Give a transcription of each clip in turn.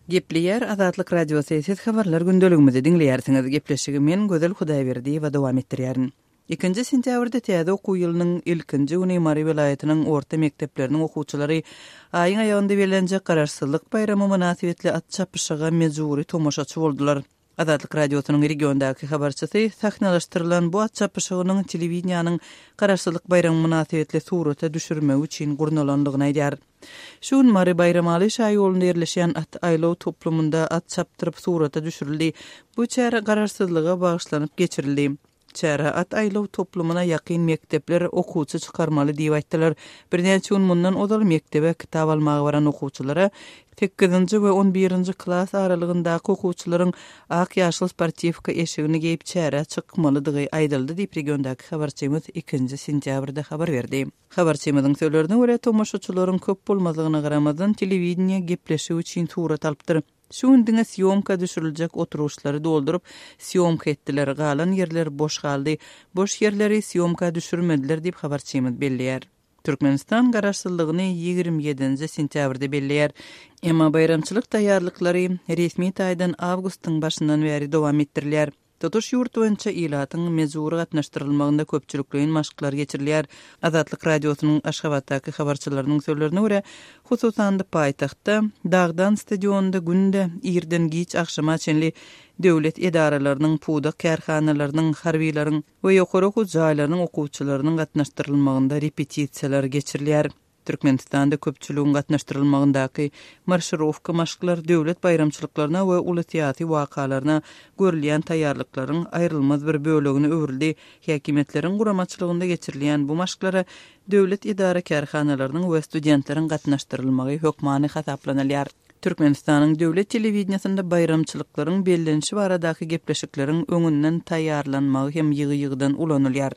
Gepleýär Azatlyk Radiosy, Siz Habarlar gündeligimizi diňleýärsiňiz. Gepleşigi men, Gözel Hudaýberdiýewa dowam etdirýärin. Ikinji sentýabrda täze okuw ýylynyň ilkinji güni Mary welaýatynyň orta mekdepleriniň okuwçylary aýyň aýagynda bellenjek Garaşsyzlyk baýramy mynasybetli at çapyşyga mejbury tomaşaçy boldular. Azatlyk Radiosynyň regiondaky habarçysy sahnalaşdyrylan bu at çapyşygynyň telewideniýäniň Garaşsyzlyk baýramy mynasybetli surata düşürmegi üçin gurnalandygyny aýdýar. Şu gün Mary Baýramaly şaýolunda ýerleşýän at aýlaw toplumynda at çapdyryp surata düşürildi. Bu çäre Garaşsyzlyga bagyşlanyp geçirildi. Çärä at aýlaw toplumyna ýakyn mekdepler okuwçy çykarmaly diýip aýtdylar. Birnäçe gün mundan ozal mekdebe kitap almaga baran okuwçylara sekizinji we on birinji klas aralygyndaky okuwçylaryň ak-ýaşyl sportiwka eşigini geýip çärä çykmalydygy aýdyldy diýip, regiondaky habarçymyz ikinji sentýabrda habar berdi. Habarçymyzyň sözlerine görä, tomaşaçylaryň köp bolmazlygyna garamazdan, telewideniýe gepleşik üçin surat alypdyr. Şu gün diňe sýomka düşüriljek oturgyçlary dolduryp, sýomka etdiler, galan ýerler boş galdy. Boş ýerleri sýomka düşürmediler diýip, habarçymyz belleýär. Türkmenistan Garaşsyzlygyny 27-nji sentýabrda belleýär. Emma baýramçylyk taýýarlyklary resmi taýdan awgustyň başyndan bäri dowam etdirilýär. Tutuş ýurt boýunça ilatyň mejbury gatnaşdyrylmagynda köpçülikleýin maşklar geçirilýär. Azatlyk Radiosynyň Aşgabatdaky habarçylarynyň sözlerine görä, hususan-da paýtagtda, Dagdan stadionynda günde irden giç agşama çenli döwlet edaralarynyň, pudak kärhanalarynyň, harbylaryň we ýokary okuw jaýlarynyň okuwçylarynyň gatnaşdyrylmagynda repetisiýalar geçirilýär. Türkmenistanda köpçüligiň gatnaşdyrylmagyndaky marşirowka maşklar döwlet baýramçylyklaryna we uly syýasy wakalaryna görülýän taýýarlyklaryň aýrylmaz bir bölegine öwrüldi. Häkimiýetleriň guramaçylygynda geçirilýän bu maşklara döwlet edara-kärhanalarynyň we studentleriň gatnaşdyrylmagy hökmany hasaplanylýar. Türkmenistanyň döwlet telewideniýesinde baýramçylyklaryň bellenişi baradaky gepleşikleriň öňünden taýýarlanmagy hem ýygy-ýygydan ulanylýar.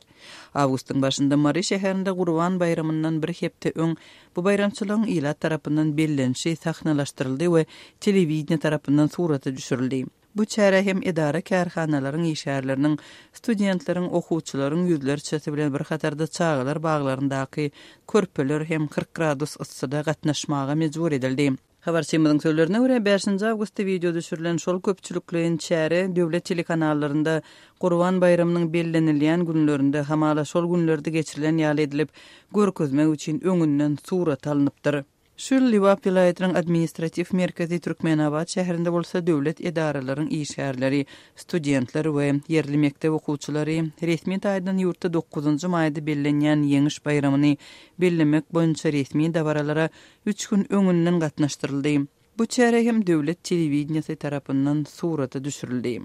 Awgustyň başynda Mary şäherinde Gurban baýramyndan bir hepde öň bu baýramçylygyň ilat tarapyndan bellenişi sahnalaşdyryldy we telewideniýe tarapyndan surata düşürildi. Bu çärä hem edara-kärhanalaryň işgärleriniň, studentleriň, okuwçylaryň ýüzlerçesi bilen bir hatarda çagalar baglaryndaky körpeler hem 40 gradus yssyda gatnaşmaga mejbur edildi. Habarçymyzyň sözlerine görä, bäşinji awgustda wideo düşürilen şol köpçülikleýin çäre döwlet telekanallarynda Gurban baýramynyň bellenilýän günlerinde, hamala şol günlerde geçirilen ýaly edilip görkezmek üçin öňünden surata alnypdyr. Şu ýyl Lebap welaýatynyň administratiw merkezi Türkmenabat şäherinde bolsa döwlet edaralaryň işgärleri, studentler we ýerli mekdep okuwçylary resmi taýdan ýurtda dokuzynjy maýda bellenýän Ýeňiş baýramyny bellemek boýunça resmi dabaralara üç gün öňünden gatnaşdyryldy. Bu çäre hem döwlet telewideniýesi tarapyndan surata düşürildi.